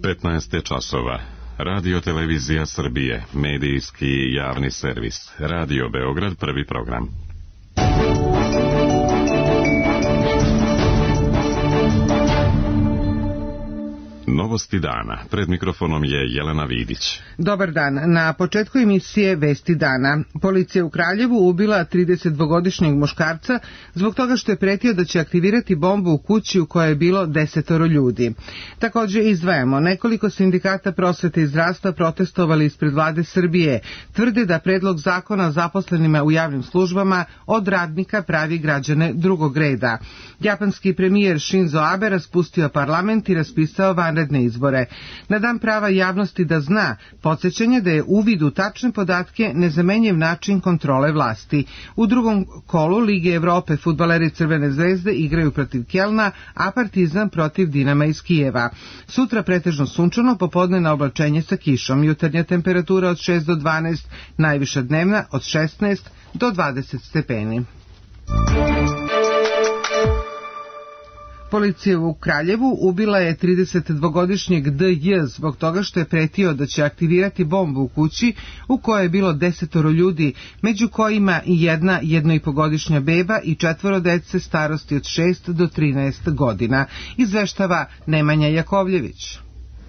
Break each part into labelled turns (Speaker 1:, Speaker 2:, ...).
Speaker 1: 15 časova. Radio Televizija Srbije, medijski javni servis. Radio Beograd, prvi program. Novosti dana. Pred mikrofonom je Jelena Vidić.
Speaker 2: Dobar dan. Na početku emisije Vesti dana. Policija u Kraljevu ubila 32-godišnjeg muškarca zbog toga što je pretio da će aktivirati bombu u kući u kojoj je bilo 10 ljudi. Također izdvajamo, nekoliko sindikata prosvete i zdravstva protestovali ispred vlade Srbije. Tvrde da predlog zakona o zaposlenima u javnim službama od radnika pravi građane drugog reda. Japanski premijer Shinzo Abe raspustio parlament i raspisao vanredne izbore. Na dan prava javnosti da zna, podsjećanje da je uvid u tačne podatke nezamenjiv način kontrole vlasti. U drugom kolu Lige Evrope fudbaleri Crvene zvezde igraju protiv Kelna, a Partizan protiv Dinama iz Kijeva. Sutra pretežno sunčano, popodne na oblačenje sa kišom. Jutarnja temperatura od 6 do 12, najviša dnevna od 16 do 20 stepeni. Policija u Kraljevu ubila je 32-godišnjeg DJ zbog toga što je pretio da će aktivirati bombu u kući u kojoj je bilo 10 ljudi, među kojima i jedna 1,5-godišnja beba i 4 dece starosti od 6 do 13 godina, izveštava Nemanja Jakovljević.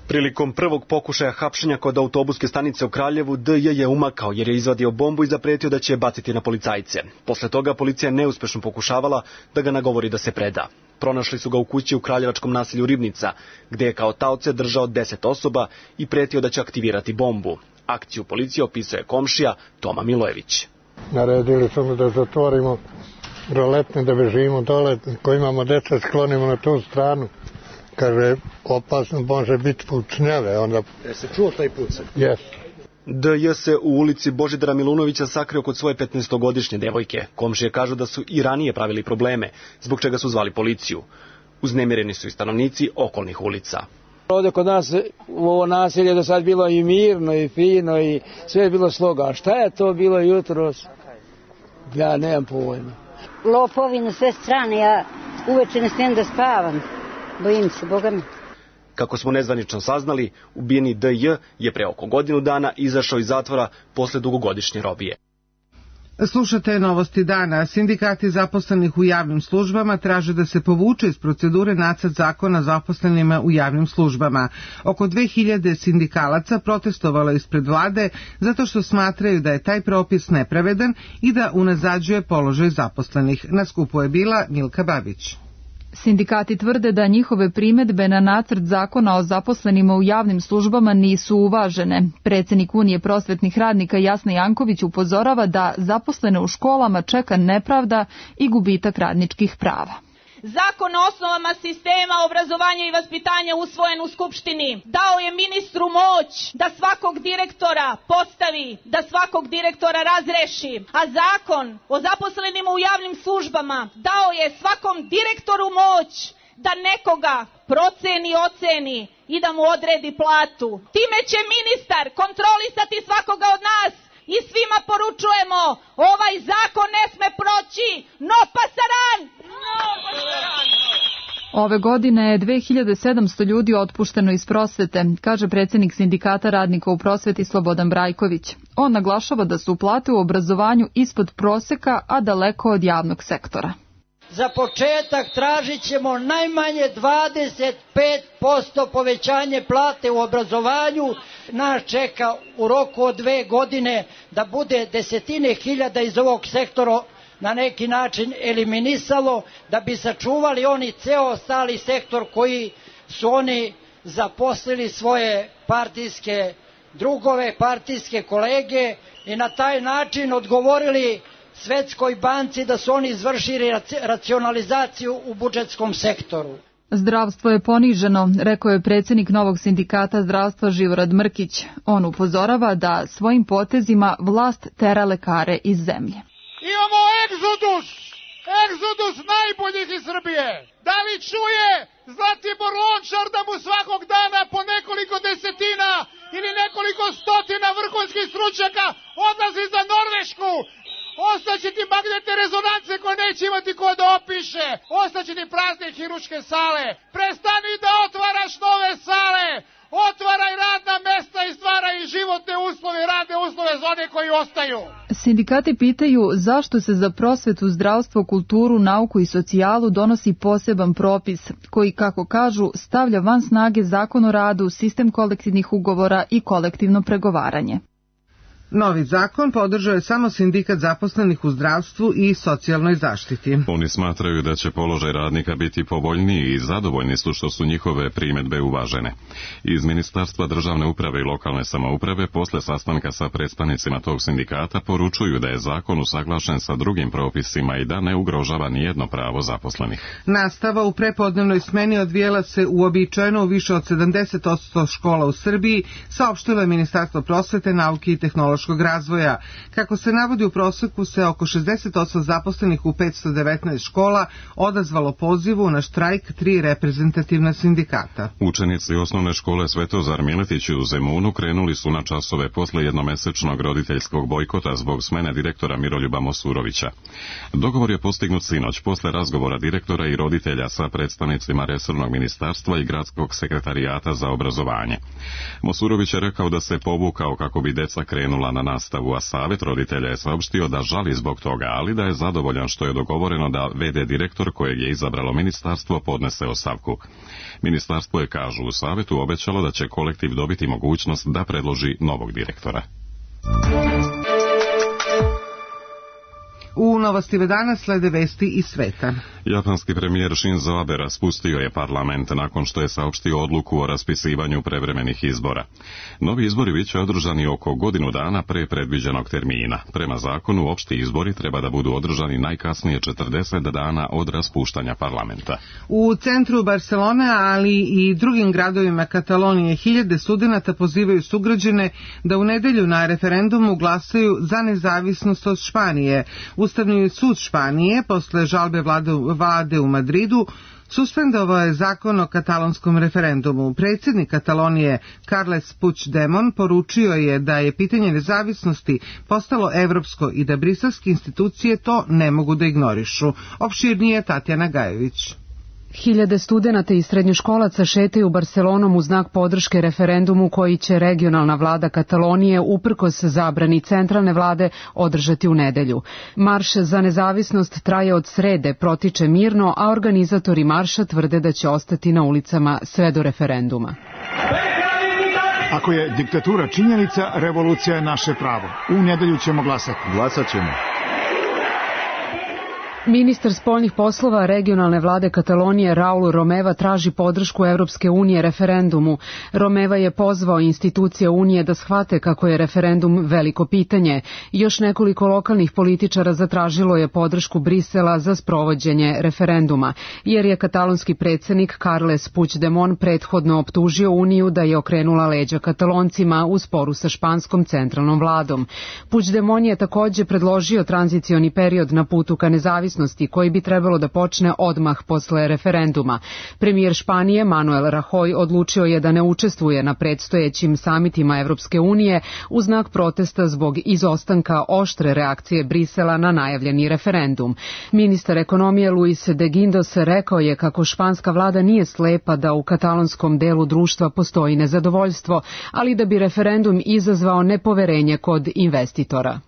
Speaker 3: Prilikom prvog pokušaja hapšenja kod autobuske stanice u Kraljevu, DJ je umakao jer je izvadio bombu i zapretio da će je baciti na policajce. Posle toga policija neuspešno pokušavala da ga nagovori da se preda. Pronašli su ga u kući u kraljevačkom naselju Ribnica, gde je kao taoce držao 10 osoba i pretio da će aktivirati bombu. Akciju policije opisuje komšija Toma Milojević.
Speaker 4: Naredili su mi da zatvorimo roletne, da bežimo dole, ko imamo deca sklonimo na tu stranu. Kaže, opasno može biti pucnjave. Onda...
Speaker 3: se čuo taj pucaj?
Speaker 4: Jes.
Speaker 3: DJ se u ulici Božidara Milunovića sakrio kod svoje 15-godišnje devojke. Komšije kažu da su i ranije pravili probleme, zbog čega su zvali policiju. Uznemireni su i stanovnici okolnih ulica.
Speaker 5: Ovdje kod nas u ovo naselje do sad bilo i mirno i fino i sve je bilo sloga. A šta je to bilo jutros? Ja nemam pojma.
Speaker 6: Lopovi na sve strane, ja uveče ne smijem da spavam. Bojim se, Boga mi.
Speaker 3: Kako smo nezvanično saznali, ubijeni DJ je pre oko godinu dana izašao iz zatvora posle dugogodišnje robije.
Speaker 2: Slušate Novosti dana. Sindikati zaposlenih u javnim službama traže da se povuče iz procedure nacrt zakona zaposlenima u javnim službama. Oko 2000 sindikalaca protestovalo ispred vlade zato što smatraju da je taj propis nepravedan i da unazađuje položaj zaposlenih. Na skupu je bila Milka Babić.
Speaker 7: Sindikati tvrde da njihove primedbe na nacrt zakona o zaposlenima u javnim službama nisu uvažene. Predsjednik Unije prosvetnih radnika Jasna Janković upozorava da zaposlene u školama čeka nepravda i gubitak radničkih prava.
Speaker 8: Zakon o osnovama sistema obrazovanja i vaspitanja usvojen u Skupštini dao je ministru moć da svakog direktora postavi, da svakog direktora razreši, a zakon o zaposlenima u javnim službama dao je svakom direktoru moć da nekoga proceni, oceni i da mu odredi platu. Time će ministar kontrolisati svakoga od nas. I svima poručujemo, ovaj zakon ne sme proći, no pasaran!
Speaker 7: Ove godine je 2700 ljudi otpušteno iz prosvete, kaže predsjednik sindikata radnika u prosveti Slobodan Brajković. On naglašava da su plate u obrazovanju ispod proseka, a daleko od javnog sektora.
Speaker 9: Za početak tražit ćemo najmanje 25% povećanje plate u obrazovanju. Nas čeka u roku od 2 godine da bude desetine hiljada iz ovog sektora na neki način eliminisalo, da bi sačuvali oni ceo ostali sektor koji su oni zaposlili svoje partijske drugove, partijske kolege i na taj način odgovorili Svetskoj banci da su oni izvršili racionalizaciju u budžetskom sektoru.
Speaker 7: Zdravstvo je poniženo, rekao je predsjednik novog sindikata zdravstva Živorad Mrkić. On upozorava da svojim potezima vlast tera lekare iz zemlje.
Speaker 10: Imamo egzodus najboljih iz Srbije. Da li čuje Zlatibor Lončar da mu svakog dana po nekoliko desetina ili nekoliko stotina vrhunskih stručnjaka odlazi za Norvešku? Ostaće ti magnetne rezonance koje neće imati ko da opiše. Ostaće ti prazne hirurške sale. Prestani da otvaraš nove sale. Otvaraj radna mesta i stvaraj životne uslove, radne uslove za one koji ostaju.
Speaker 7: Sindikati pitaju zašto se za prosvetu, zdravstvo, kulturu, nauku i socijalu donosi poseban propis koji, kako kažu, stavlja van snage Zakon o radu, sistem kolektivnih ugovora i kolektivno pregovaranje.
Speaker 2: Novi zakon podržao je samo sindikat zaposlenih u zdravstvu i socijalnoj zaštiti.
Speaker 1: Oni smatraju da će položaj radnika biti povoljniji i zadovoljni su što su njihove primjedbe uvažene. Iz Ministarstva državne uprave i lokalne samouprave posle sastanka sa predstavnicima tog sindikata poručuju da je zakon usaglašen sa drugim propisima i da ne ugrožava nijedno pravo zaposlenih.
Speaker 2: Nastava u prepodnevnoj smeni odvijela se uobičajeno u više od 70% škola u Srbiji, saopštilo je Ministarstvo prosvete, nauke i tehnološkog razvoja. Kako se navodi, u proseku se oko 68 zaposlenih u 519 škola odazvalo pozivu na štrajk 3 reprezentativna sindikata.
Speaker 1: Učenici osnovne škole Svetozar Miletić u Zemunu krenuli su na časove posle jednomesečnog roditeljskog bojkota zbog smene direktora Miroljuba Mosurovića. Dogovor je postignut sinoć posle razgovora direktora i roditelja sa predstavnicima resornog ministarstva i gradskog sekretarijata za obrazovanje. Mosurović je rekao da se povukao kako bi deca krenula na nastavu, a savjet roditelja je saopštio da žali zbog toga, ali da je zadovoljan što je dogovoreno da v.d. direktor kojeg je izabralo ministarstvo podnese ostavku. Ministarstvo je, kažu u savjetu, obećalo da će kolektiv dobiti mogućnost da predloži novog direktora.
Speaker 2: U novostima danas slede vesti iz sveta.
Speaker 1: Japanski premijer Shinzo Abe raspustio je parlament nakon što je saopštio odluku o raspisivanju prevremenih izbora. Novi izbori biće održani oko godinu dana pre predviđenog termina. Prema zakonu, opšti izbori treba da budu održani najkasnije 40 dana od raspuštanja parlamenta.
Speaker 2: U centru Barcelone, ali i drugim gradovima Katalonije, hiljade studenata pozivaju sugrađane da u nedelju na referendumu glasaju za nezavisnost od Španije. Ustavni sud Španije, posle žalbe vlade u Madridu, suspendovao je zakon o katalonskom referendumu. Predsjednik Katalonije Carles Puigdemont poručio je da je pitanje nezavisnosti postalo evropsko i da briselske institucije to ne mogu da ignorišu. Opširnije Tatjana Gajević.
Speaker 11: Hiljade studenata i srednjoškolaca šetaju Barcelonom u znak podrške referendumu koji će regionalna vlada Katalonije uprkos zabrani centralne vlade održati u nedelju. Marš za nezavisnost traje od srede, protiče mirno, a organizatori marša tvrde da će ostati na ulicama sve do referenduma.
Speaker 12: Ako je diktatura činjenica, revolucija je naše pravo. U nedelju ćemo glasati.
Speaker 13: Glasat ćemo.
Speaker 11: Ministar spoljnih poslova regionalne vlade Katalonije Raul Romeva traži podršku Evropske unije referendumu. Romeva je pozvao institucije Unije da shvate kako je referendum veliko pitanje. Još nekoliko lokalnih političara zatražilo je podršku Brisela za sprovođenje referenduma, jer je katalonski predsjednik Carles Puigdemont prethodno optužio Uniju da je okrenula leđa Kataloncima u sporu sa španskom centralnom vladom. Puigdemont je također predložio tranzicioni period na putu ka nezavisnosti koji bi trebalo da počne odmah posle referenduma. Premijer Španije Manuel Rajoy odlučio je da ne učestvuje na predstojećim samitima Evropske unije u znak protesta zbog izostanka oštre reakcije Brisela na najavljeni referendum. Ministar ekonomije Luis de Guindos rekao je kako španska vlada nije slepa da u katalonskom delu društva postoji nezadovoljstvo, ali da bi referendum izazvao nepoverenje kod investitora.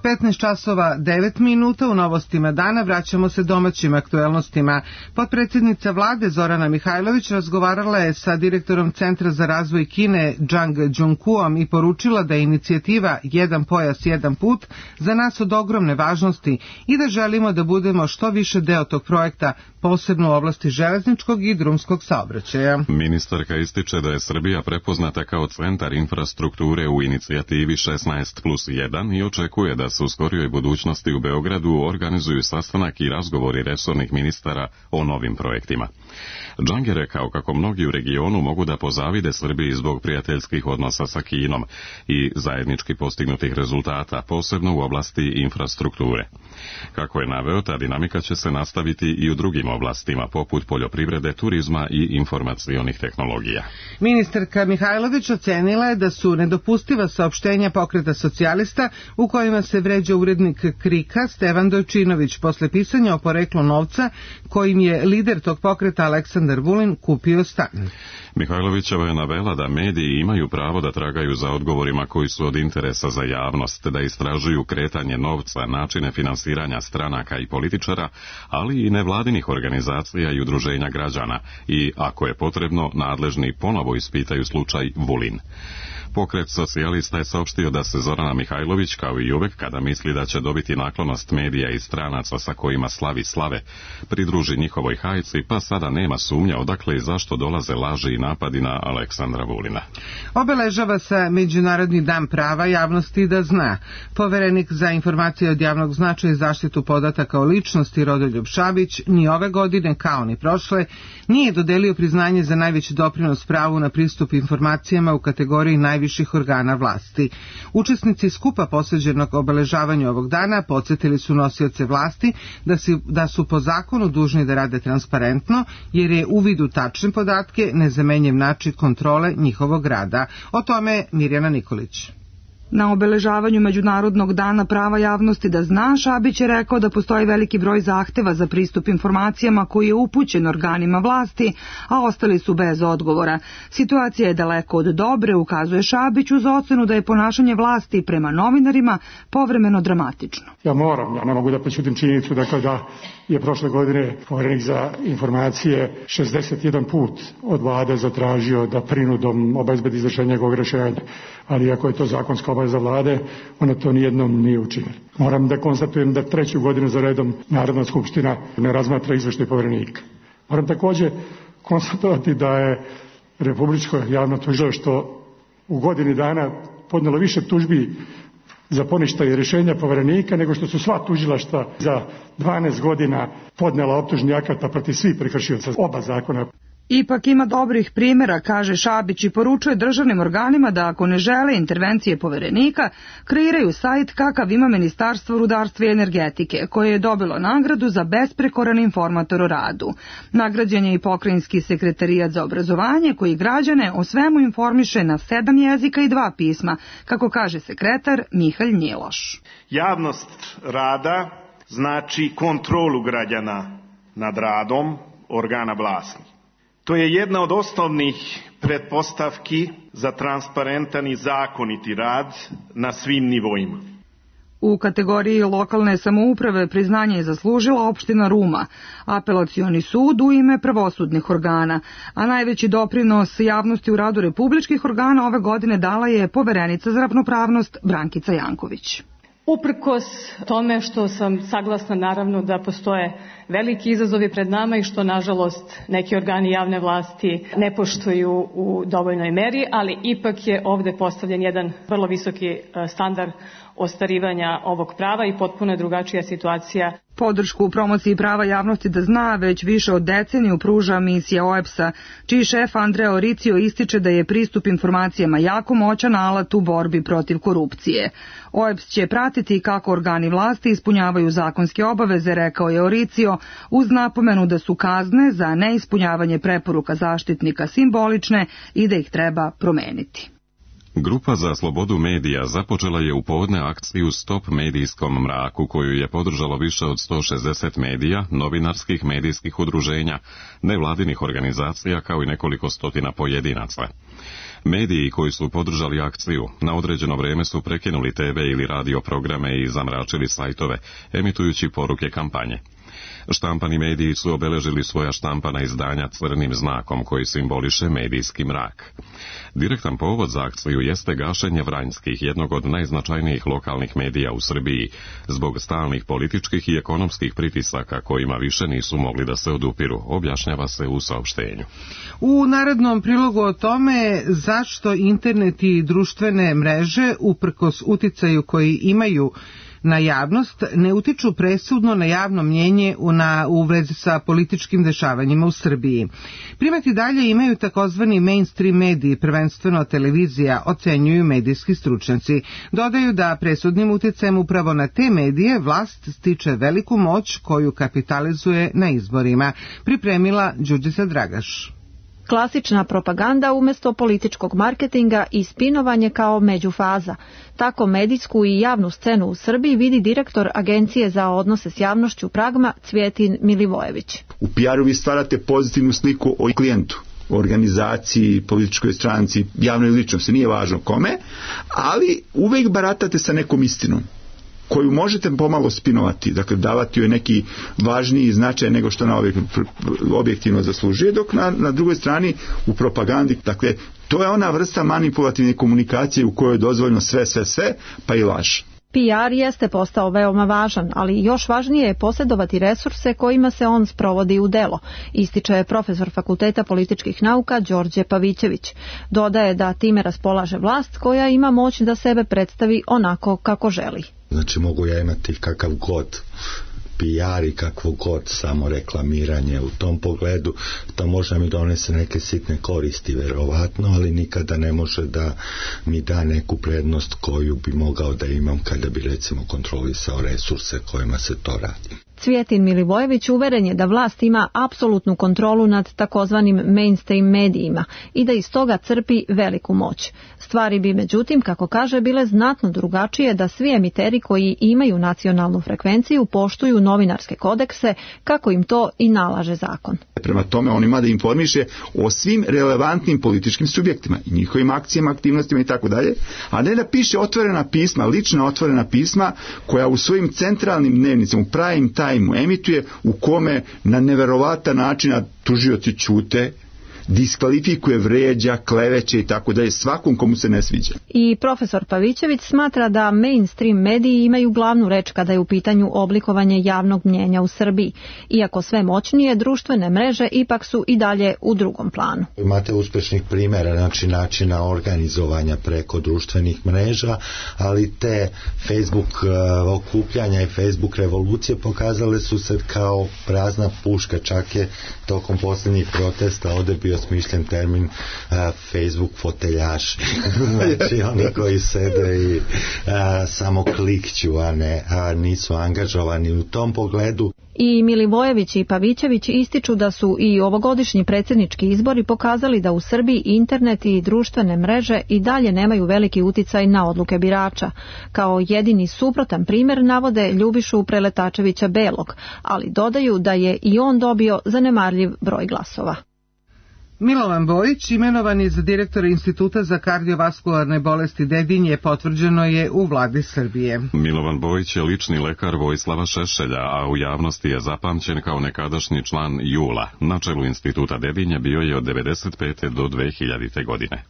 Speaker 2: 15 časova 9 minuta u novostima dana vraćamo se domaćim aktuelnostima. Potpredsjednica vlade Zorana Mihajlović razgovarala je sa direktorom Centra za razvoj Kine Zhang Jungkuom i poručila da je inicijativa Jedan pojas, jedan put za nas od ogromne važnosti i da želimo da budemo što više deo tog projekta, posebno u oblasti železničkog i drumskog saobraćaja.
Speaker 1: Ministarka ističe da je Srbija prepoznata kao centar infrastrukture u inicijativi 16+1 i očekuje da se u skorijoj budućnosti u Beogradu organizuju sastanak i razgovori resornih ministara o novim projektima. Džang je rekao kako mnogi u regionu mogu da pozavide Srbiji zbog prijateljskih odnosa sa Kinom i zajednički postignutih rezultata, posebno u oblasti infrastrukture. Kako je naveo, ta dinamika će se nastaviti i u drugim oblastima, poput poljoprivrede, turizma i informacionih tehnologija.
Speaker 2: Ministarka Mihajlović ocenila je da su nedopustiva saopštenja Pokreta socijalista u kojima se vređa urednik KRIK-a Stevan Dojčinović posle pisanja o poreklu novca kojim je lider tog pokreta Aleksandar Vulin kupio stan.
Speaker 1: Mihajlovićeva je navela da mediji imaju pravo da tragaju za odgovorima koji su od interesa za javnost, da istražuju kretanje novca, načine finansiranja stranaka i političara, ali i nevladinih organizacija i udruženja građana i, ako je potrebno, nadležni ponovo ispitaju slučaj Vulin. Pokret socijalista je saopštio da se Zorana Mihajlović, kao i uvek kada misli da će dobiti naklonost medija i stranaca sa kojima slavi slave, pridruži njihovoj hajci, pa sada nema sumnja odakle i zašto dolaze laži i napadi na Aleksandra Vulina.
Speaker 2: Obeležava se Međunarodni dan prava javnosti da zna. Poverenik za informacije od javnog značaja i zaštitu podataka o ličnosti Rodoljub Šabić ni ove godine, kao ni prošle, nije dodelio priznanje za najveći doprinos pravu na pristup informacijama u kategoriji najviših organa vlasti. Učesnici skupa posveđenog obeležavanju ovog dana podsjetili su nosioce vlasti da su po zakonu dužni da rade transparentno, jer je uvid u tačne podatke nezamenjiv način kontrole njihovog rada. O tome Mirjana Nikolić.
Speaker 13: Na obeležavanju Međunarodnog dana prava javnosti da zna, Šabić je rekao da postoji veliki broj zahteva za pristup informacijama koji je upućen organima vlasti, a ostali su bez odgovora. Situacija je daleko od dobre, ukazuje Šabić, uz ocenu da je ponašanje vlasti prema novinarima povremeno dramatično.
Speaker 14: Ja ne mogu da prećutim činjenicu da je prošle godine Poverenik za informacije 61 put od vlade zatražio da prinudom obezbedi izvršenje njegovog rješenja, ali ako je to zakonska obaveza vlade, ona to nijednom nije učinila. Moram da konstatujem da 3. godinu za redom Narodna skupština ne razmatra izveštaj Poverenika. Moram također konstatovati da je Republičko javno tužilaštvo u godini dana podnijelo više tužbi za poništaj rješenja Poverenika nego što su sva tužilaštva za 12 godina podnijela optužni akata protiv svih prekršioca oba zakona.
Speaker 13: Ipak ima dobrih primjera, kaže Šabić, i poručuje državnim organima da ako ne žele intervencije Poverenika, kreiraju sajt kakav ima Ministarstvo rudarstva i energetike, koje je dobilo nagradu za besprekoran informator o radu. Nagrađen je i Pokrajinski sekretarijat za obrazovanje, koji građane o svemu informiše na 7 jezika i 2 pisma, kako kaže sekretar Mihalj Njiloš.
Speaker 15: Javnost rada znači kontrolu građana nad radom organa vlasti. To je jedna od osnovnih pretpostavki za transparentan i zakoniti rad na svim nivoima.
Speaker 13: U kategoriji lokalne samouprave priznanje je zaslužila opština Ruma, apelacioni sud u ime pravosudnih organa, a najveći doprinos javnosti u radu republičkih organa ove godine dala je Poverenica za ravnopravnost Brankica Janković.
Speaker 16: Uprkos tome što sam saglasna naravno da postoje veliki izazovi pred nama i što nažalost neki organi javne vlasti ne poštuju u dovoljnoj meri, ali ipak je ovde postavljen jedan vrlo visoki standard ostvarivanja ovog prava i potpuno je drugačija situacija.
Speaker 13: Podršku u promociji prava javnosti da zna već više od deceniju pruža misija OEBS-a, čiji šef Andrea Oricio ističe da je pristup informacijama jako moćan alat u borbi protiv korupcije. OEBS će pratiti kako organi vlasti ispunjavaju zakonske obaveze, rekao je Oricio, uz napomenu da su kazne za neispunjavanje preporuka zaštitnika simbolične i da ih treba promeniti.
Speaker 1: Grupa za slobodu medija započela je u povodne akciju Stop medijskom mraku, koju je podržalo više od 160 medija, novinarskih medijskih udruženja, nevladinih organizacija kao i nekoliko stotina pojedinaca. Mediji koji su podržali akciju na određeno vreme su prekinuli TV ili radio programe i zamračili sajtove, emitujući poruke kampanje. Štampani mediji su obeležili svoja štampana izdanja crnim znakom koji simboliše medijski mrak. Direktan povod za akciju jeste gašenje Vranjskih, jednog od najznačajnijih lokalnih medija u Srbiji, zbog stalnih političkih i ekonomskih pritisaka kojima više nisu mogli da se odupiru, objašnjava se u saopštenju.
Speaker 2: U narednom prilogu o tome zašto internet i društvene mreže, uprkos uticaju koji imaju na javnost ne utiču presudno na javno mnjenje u vezi sa političkim dešavanjima u Srbiji. Primati dalje imaju takozvani mainstream mediji, prvenstveno televizija, ocenjuju medijski stručnjaci. Dodaju da presudnim uticajem upravo na te medije vlast stiče veliku moć koju kapitalizuje na izborima. Pripremila Đurđica Dragaš.
Speaker 17: Klasična propaganda umjesto političkog marketinga i spinovanje kao međufaza. Tako medijsku i javnu scenu u Srbiji vidi direktor Agencije za odnose s javnošću Pragma Cvjetin Milivojević.
Speaker 18: U PR-u vi stvarate pozitivnu sliku o klijentu, o organizaciji, političkoj stranci, javnoj ličnosti, nije važno kome, ali uvek baratate sa nekom istinom koju možete pomalo spinovati, dakle davati joj neki važniji značaj nego što ona objektivno zaslužuje, dok na drugoj strani u propagandi, dakle to je ona vrsta manipulativne komunikacije u kojoj je dozvoljeno sve, pa i laž.
Speaker 17: PR jeste postao veoma važan, ali još važnije je posjedovati resurse kojima se on sprovodi u delo, ističe profesor Fakulteta političkih nauka Đorđe Pavićević. Dodaje da time raspolaže vlast koja ima moć da sebe predstavi onako kako želi.
Speaker 19: Znači mogu ja imati kakav god PR i kakvo god samo reklamiranje u tom pogledu, to može mi donese neke sitne koristi verovatno, ali nikada ne može da mi da neku prednost koju bi mogao da imam kada bi recimo kontrolisao resurse kojima se to radi.
Speaker 17: Cvjetin Milivojević uveren je da vlast ima apsolutnu kontrolu nad takozvanim mainstream medijima i da iz toga crpi veliku moć. Stvari bi međutim, kako kaže, bile znatno drugačije da svi emiteri koji imaju nacionalnu frekvenciju poštuju novinarske kodekse kako im to i nalaže zakon.
Speaker 18: Prema tome on ima da informiše o svim relevantnim političkim subjektima i njihovim akcijama, aktivnostima i tako dalje, a ne da piše otvorena pisma, lična otvorena pisma koja u svojim centralnim dnevnicama, u prime time emituje u kome na neverovatan način tužioci ćute, diskvalifikuje, vređa, kleveće i tako dalje svakom komu se ne sviđa.
Speaker 17: I profesor Pavićević smatra da mainstream mediji imaju glavnu reč kada je u pitanju oblikovanje javnog mnjenja u Srbiji. Iako sve moćnije, društvene mreže ipak su i dalje u drugom planu.
Speaker 19: Imate uspešnih primjera, znači načina organizovanja preko društvenih mreža, ali te Facebook okupljanja i Facebook revolucije pokazale su se kao prazna puška. Čak je tokom posljednjih protesta ovdje bio smišljen termin Facebook foteljaši. Znači oni koji sede i samo klikću, a nisu angažovani u tom pogledu.
Speaker 17: I Milivojević i Pavićević ističu da su i ovogodišnji predsjednički izbori pokazali da u Srbiji internet i društvene mreže i dalje nemaju veliki uticaj na odluke birača. Kao jedini suprotan primjer navode Ljubišu Preletačevića Belog, ali dodaju da je i on dobio zanemarljiv broj glasova.
Speaker 2: Milovan Bojić imenovan je za direktora Instituta za kardiovaskularne bolesti Dedinje, potvrđeno je u vladi Srbije.
Speaker 1: Milovan Bojić je lični lekar Vojislava Šešelja, a u javnosti je zapamćen kao nekadašnji član JUL-a. Na čelu Instituta Dedinje bio je od 1995. do 2000. godine.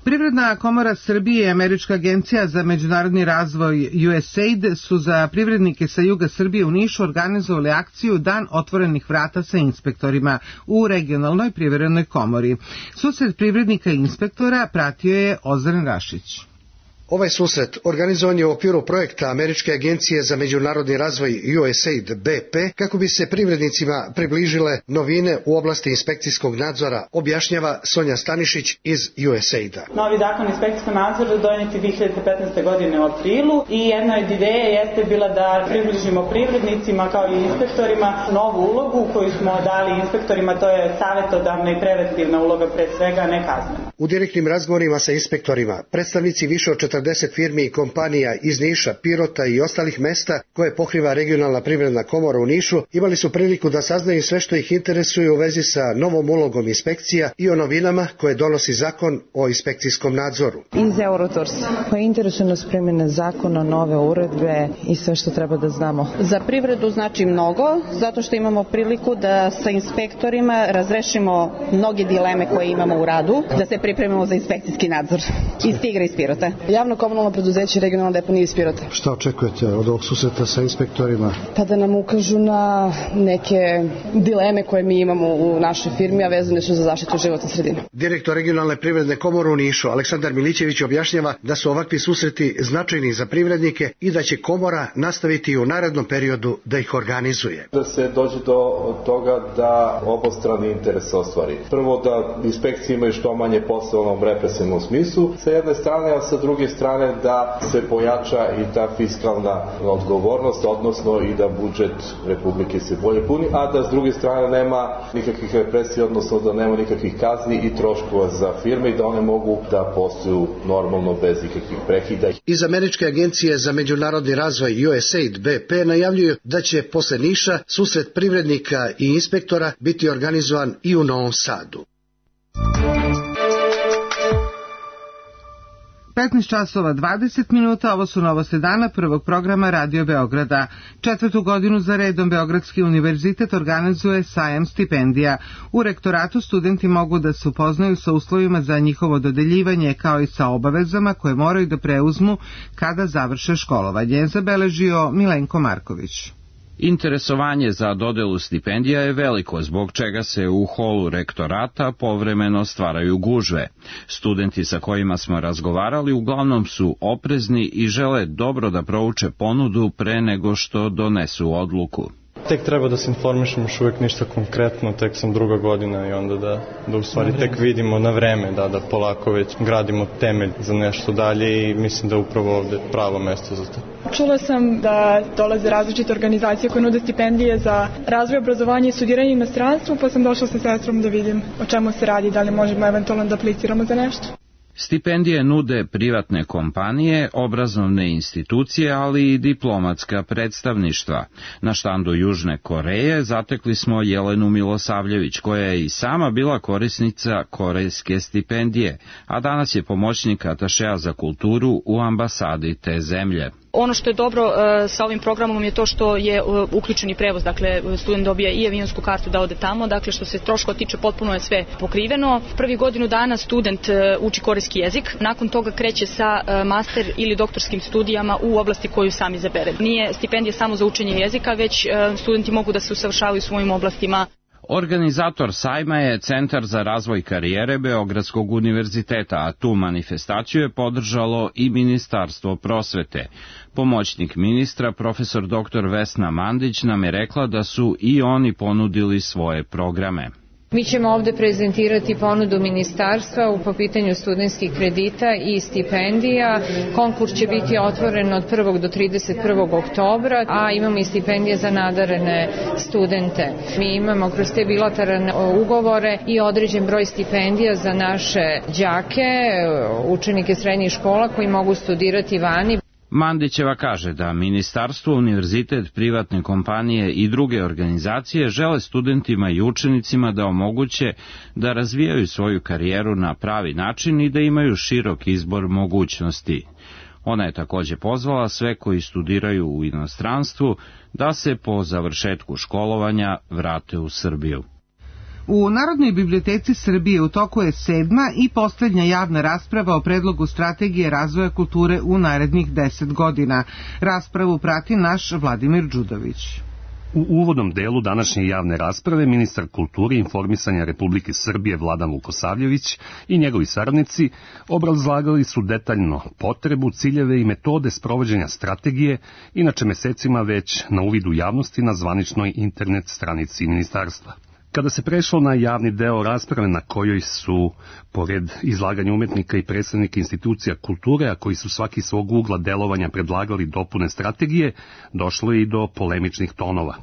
Speaker 2: Privredna komora Srbije i Američka agencija za međunarodni razvoj USAID su za privrednike sa juga Srbije u Nišu organizovali akciju Dan otvorenih vrata sa inspektorima u regionalnoj privrednoj komori. Susret privrednika i inspektora pratio je Ozren Rašić.
Speaker 20: Ovaj susret organizovan je u okviru projekta Američke agencije za međunarodni razvoj USAID BP kako bi se privrednicima približile novine u oblasti inspekcijskog nadzora, objašnjava Sonja Stanišić iz USAID-a.
Speaker 21: Novi zakon o inspekcijskom nadzoru donet je 2015. godine u aprilu i jedna od ideja jeste bila da približimo privrednicima kao i inspektorima novu ulogu koju smo dali inspektorima, to je savjetodavna i preventivna uloga pre svega, ne kaznena.
Speaker 20: U direktnim razgovorima sa inspektorima predstavnici više od 40 firmi i kompanija iz Niša, Pirota i ostalih mesta koje pokriva regionalna privredna komora u Nišu imali su priliku da saznaju sve što ih interesuje u vezi sa novom ulogom inspekcija i o novinama koje donosi zakon o inspekcijskom nadzoru.
Speaker 22: Iz Eurotours, pa interesuje nas primjene zakona, nove uredbe i sve što treba da znamo.
Speaker 23: Za privredu znači mnogo, zato što imamo priliku da sa inspektorima razrešimo mnoge dileme koje imamo u radu, da se pripremamo za inspekcijski nadzor iz Tigra iz Pirota. Javno komunalno preduzeće regionalna deponija iz Pirota.
Speaker 20: Šta očekujete od ovog susreta sa inspektorima?
Speaker 23: Pa da nam ukažu na neke dileme koje mi imamo u našoj firmi, a vezane su za zaštitu životne sredine.
Speaker 20: Direktor regionalne privredne komore u Nišu, Aleksandar Milićević, objašnjava da su ovakvi susreti značajni za privrednike i da će komora nastaviti u narednom periodu da ih organizuje.
Speaker 4: Da se dođe do toga da obostrani interes ostvari. Prvo da inspekcije imaju što manje posla u onom represivnom smislu, sa jedne strane, a sa druge strane da se pojača i ta fiskalna odgovornost, odnosno i da budžet Republike se bolje puni, a da s druge strane nema nikakvih represija, odnosno da nema nikakvih kazni i troškova za firme i da one mogu da posluju normalno bez ikakvih prekida.
Speaker 20: Iz Američke agencije za međunarodni razvoj USAID BP najavljuju da će posle Niša susret privrednika i inspektora biti organizovan i u Novom Sadu.
Speaker 2: 15 časova 20 minuta, ovo su novosti dana prvog programa Radio Beograda. 4. godinu za redom Beogradski univerzitet organizuje sajam stipendija. U rektoratu studenti mogu da se upoznaju sa uslovima za njihovo dodeljivanje kao i sa obavezama koje moraju da preuzmu kada završe školovanje, zabeležio Milenko Marković.
Speaker 5: Interesovanje za dodelu stipendija je veliko, zbog čega se u holu rektorata povremeno stvaraju gužve. Studenti sa kojima smo razgovarali uglavnom su oprezni i žele dobro da prouče ponudu pre nego što donesu odluku.
Speaker 6: Tek treba da se informišem, još uvijek ništa konkretno, tek sam 2. godina i onda da u stvari tek vidimo na vreme, da polako već gradimo temelj za nešto dalje i mislim da je upravo ovde pravo mesto za to.
Speaker 24: Čula sam da dolaze različite organizacije koje nude stipendije za razvoj obrazovanja i studiranje u inostranstvu, pa sam došla sa sestrom da vidim o čemu se radi, da li možemo eventualno da apliciramo za nešto.
Speaker 5: Stipendije nude privatne kompanije, obrazovne institucije, ali i diplomatska predstavništva. Na štandu Južne Koreje zatekli smo Jelenu Milosavljević, koja je i sama bila korisnica korejske stipendije, a danas je pomoćnik atašea za kulturu u ambasadi te zemlje.
Speaker 25: Ono što je dobro sa ovim programom je to što je uključeni prevoz, dakle student dobija i avionsku kartu da ode tamo, dakle što se troškova tiče potpuno je sve pokriveno. Prvi godinu dana student uči korejski jezik, nakon toga kreće sa master ili doktorskim studijama u oblasti koju sam izabere. Nije stipendija samo za učenje jezika, već studenti mogu da se usavršavaju u svojim oblastima.
Speaker 5: Organizator sajma je Centar za razvoj karijere Beogradskog univerziteta, a tu manifestaciju je podržalo i Ministarstvo prosvete. Pomoćnik ministra, profesor dr. Vesna Mandić, nam je rekla da su i oni ponudili svoje programe.
Speaker 26: Mi ćemo ovde prezentirati ponudu ministarstva po pitanju studentskih kredita i stipendija. Konkurs će biti otvoren od 1. do 31. oktobra, a imamo i stipendije za nadarene studente. Mi imamo kroz te bilateralne ugovore i određen broj stipendija za naše đake, učenike srednjih škola koji mogu studirati vani.
Speaker 5: Mandićeva kaže da ministarstvo, univerzitet, privatne kompanije i druge organizacije žele studentima i učenicima da omoguće da razvijaju svoju karijeru na pravi način i da imaju širok izbor mogućnosti. Ona je takođe pozvala sve koji studiraju u inostranstvu da se po završetku školovanja vrate u Srbiju.
Speaker 2: U Narodnoj biblioteci Srbije u toku je 7. i poslednja javna rasprava o predlogu strategije razvoja kulture u narednih 10 godina. Raspravu prati naš Vladimir Đudović.
Speaker 27: U uvodnom delu današnje javne rasprave ministar kulture i informisanja Republike Srbije Vladan Vukosavljević i njegovi saradnici obrazlagali su detaljno potrebu, ciljeve i metode sprovođenja strategije, inače mesecima već na uvidu javnosti na zvaničnoj internet stranici ministarstva. Kada se prešlo na javni deo rasprave na kojoj su, pored izlaganja umetnika i predstavnika institucija kulture, a koji su svaki svog ugla delovanja predlagali dopune strategije, došlo je i do polemičnih tonova.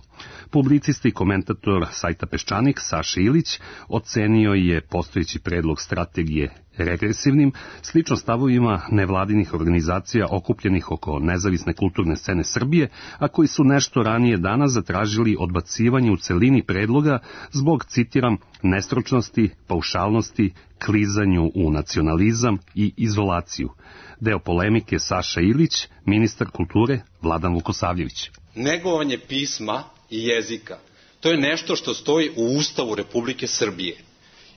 Speaker 27: Publicista i komentator sajta Peščanik Saša Ilić ocenio je postojeći predlog strategije regresivnim, slično stavovima nevladinih organizacija okupljenih oko nezavisne kulturne scene Srbije, a koji su nešto ranije danas zatražili odbacivanje u celini predloga zbog, citiram, nestručnosti, paušalnosti, klizanju u nacionalizam i izolaciju. Deo polemike Saša Ilić, ministar kulture Vladan Vukosavljević.
Speaker 28: Negovanje pisma i jezika, to je nešto što stoji u Ustavu Republike Srbije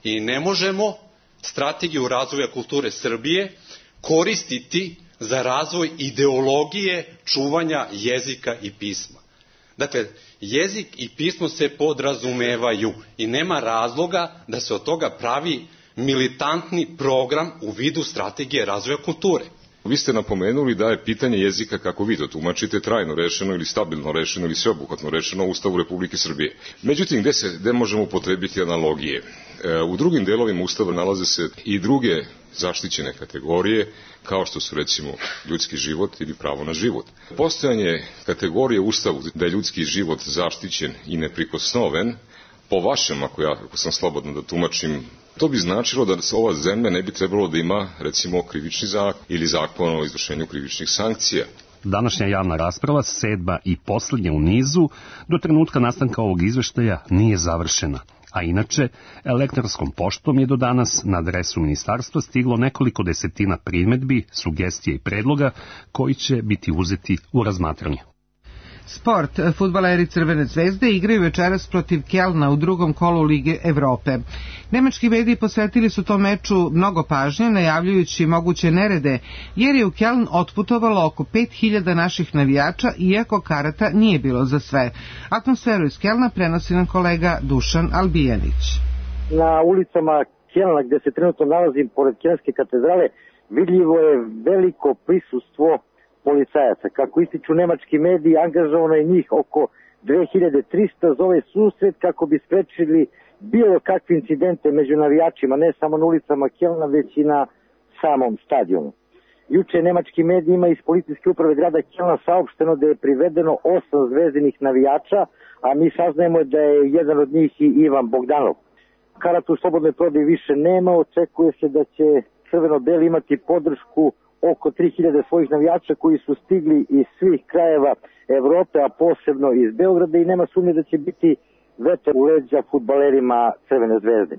Speaker 28: i ne možemo strategiju razvoja kulture Srbije koristiti za razvoj ideologije čuvanja jezika i pisma. Dakle, jezik i pismo se podrazumevaju i nema razloga da se od toga pravi militantni program u vidu strategije razvoja kulture.
Speaker 3: Vi ste napomenuli da je pitanje jezika, kako vi to tumačite, trajno rešeno ili stabilno rešeno ili sveobuhvatno rešeno u Ustavu Republike Srbije. Međutim, gde možemo upotrebiti analogije? U drugim delovima Ustava nalaze se i druge zaštićene kategorije, kao što su recimo ljudski život ili pravo na život. Postojanje kategorije u Ustavu da je ljudski život zaštićen i neprikosnoven, po vašem, ako sam slobodno da tumačim, to bi značilo da ova zemlja ne bi trebalo da ima, recimo, krivični zakon ili zakon o izvršenju krivičnih sankcija.
Speaker 27: Današnja javna rasprava, 7. i poslednja u nizu, do trenutka nastanka ovog izveštaja nije završena. A inače, elektronskom poštom je do danas na adresu ministarstva stiglo nekoliko desetina primedbi, sugestija i predloga koji će biti uzeti u razmatranje.
Speaker 2: Sport. Fudbaleri Crvene zvezde igraju večeras protiv Kelna u drugom kolu Lige Evrope. Nemački mediji posvetili su tom meču mnogo pažnje, najavljujući moguće nerede, jer je u Keln otputovalo oko 5000 naših navijača, iako karata nije bilo za sve. Atmosferu iz Kelna prenosi nam kolega Dušan Albijanić.
Speaker 7: Na ulicama Kelna, gde se trenutno nalazim pored Kelnske katedrale, vidljivo je veliko prisustvo policajaca. Kako ističu nemački mediji, angažovano je njih oko 2300 za ovaj susret kako bi sprečili bilo kakve incidente među navijačima, ne samo na ulicama Kelna, već i na samom stadionu. Juče nemački medijima iz policijske uprave grada Kelna saopšteno da je privedeno 8 zvezdinih navijača, a mi saznajemo da je jedan od njih i Ivan Bogdanov. Karata u slobodnoj prodaji više nema, očekuje se da će crveno-beli imati podršku oko 3000 svojih navijača koji su stigli iz svih krajeva Evrope, a posebno iz Beograda, i nema sumnje da će biti vetar u leđa fudbalerima Crvene zvezde.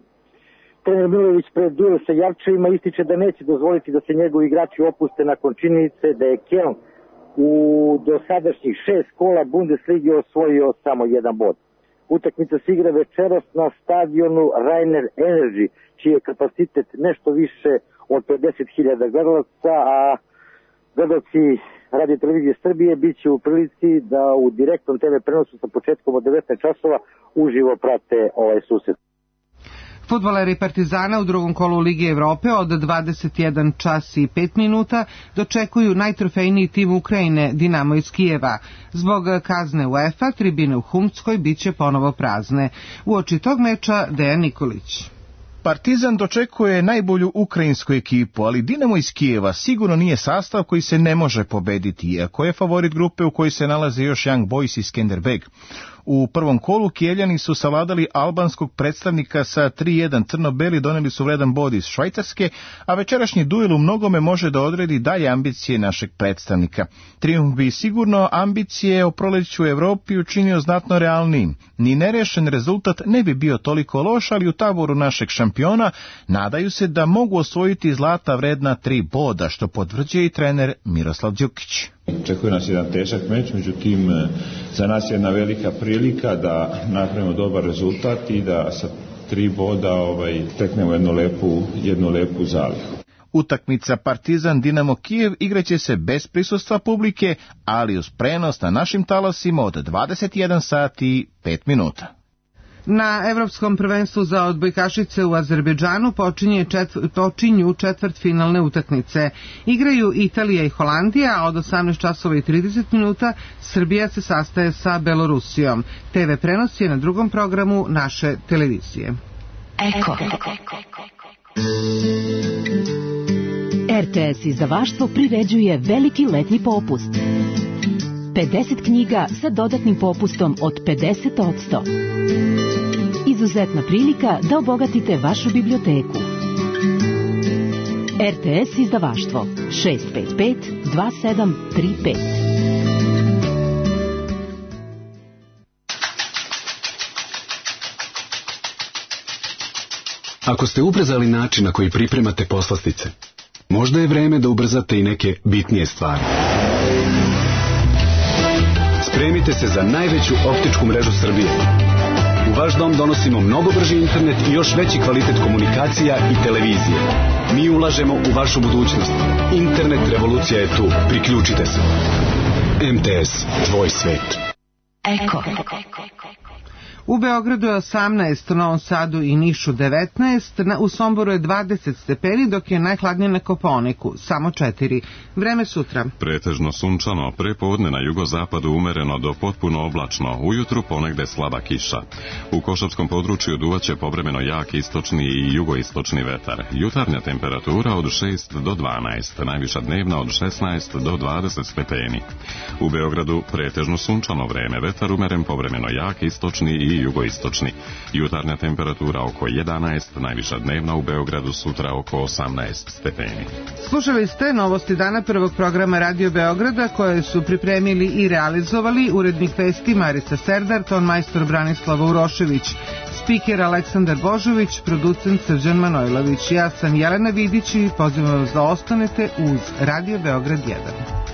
Speaker 7: Trener Milojević pred duel sa Jarčevima ističe da neće dozvoliti da se njegovi igrači opuste nakon činjenice da je Keln u dosadašnjih 6 kola Bundeslige osvojio samo 1 bod. Utakmica se igra večeras na stadionu Rainer Energy, čiji je kapacitet nešto više od 50.000 gledalaca, a gledalci Radio Televizije Srbije bit će u prilici da u direktnom TV prenosu sa početkom od 19 časova uživo prate ovaj susret.
Speaker 2: Fudbaleri Partizana u drugom kolu Lige Evrope od 21 čas i 5 minuta dočekuju najtrofejniji tim Ukrajine, Dinamo iz Kijeva. Zbog kazne UEFA, tribine u Humckoj bit će ponovo prazne. Uoči tog meča Dejan Nikolić.
Speaker 8: Partizan dočekuje najbolju ukrajinsku ekipu, ali Dinamo iz Kijeva sigurno nije sastav koji se ne može pobediti, iako je favorit grupe u kojoj se nalaze još Young Boys i Skanderbeg. U prvom kolu Kijeljani su savladali albanskog predstavnika sa 3-1, crno-beli doneli su vredan bod iz Švajcarske, a večerašnji duel u mnogome može da odredi dalje ambicije našeg predstavnika. Trijumf bi sigurno ambicije o proleću u Evropi učinio znatno realnijim. Ni nerešen rezultat ne bi bio toliko loš, ali u taboru našeg šampiona nadaju se da mogu osvojiti zlata vredna 3 boda, što potvrđuje i trener Miroslav Đukić.
Speaker 9: Očekuje nas jedan težak meč, međutim za nas je jedna velika prilika da napravimo dobar rezultat i da sa 3 boda teknemo jednu lepu zalihu.
Speaker 8: Utakmica Partizan Dinamo Kijev igraće se bez prisustva publike, ali uz prenos na našim talasima od 21 sati i 5 minuta.
Speaker 2: Na Evropskom prvenstvu za odbojkašice u Azerbejdžanu počinju četvrtfinalne utakmice. Igraju Italija i Holandija, a od 18 časova i 30 minuta Srbija se sastaje sa Belorusijom. TV prenos je na drugom programu naše televizije.
Speaker 10: Eko. RTS izdavaštvo priređuje veliki letnji popust. 50 knjiga sa dodatnim popustom od 50%. Izuzetna prilika da obogatite vašu biblioteku. RTS izdavaštvo 655 2735.
Speaker 11: Ako ste ubrzali način na koji pripremate poslastice, možda je vreme da ubrzate i neke bitnije stvari. Spremite se za najveću optičku mrežu Srbije. U vaš dom donosimo mnogo brži internet i još veći kvalitet komunikacija i televizije. Mi ulažemo u vašu budućnost. Internet revolucija je tu. Priključite se. MTS, tvoj svet.
Speaker 10: Eko.
Speaker 2: U Beogradu je 18, u Novom Sadu i Nišu 19, u Somboru je 20 stepeni, dok je najhladnije na Kopaoniku, samo 4. Vreme sutra.
Speaker 1: Pretežno sunčano, prepodne na jugozapadu umereno do potpuno oblačno, ujutru ponegde slaba kiša. U Košavskom području duvaće povremeno jak istočni i jugoistočni vetar. Jutarnja temperatura od 6 do 12, najviša dnevna od 16 do 20 stepeni. U Beogradu pretežno sunčano vreme, vetar umeren povremeno jak istočni i jugoistočni. Jutarnja temperatura oko 11, najviša dnevna u Beogradu sutra oko 18 stepeni.
Speaker 2: Slušali ste novosti dana prvog programa Radio Beograda koje su pripremili i realizovali urednik vesti Marica Serdar, tonmajstor Branislava Urošević, spiker Aleksandar Božović, producent Srđan Manojlović. Ja sam Jelena Vidić i pozivam vas da ostanete uz Radio Beograd 1.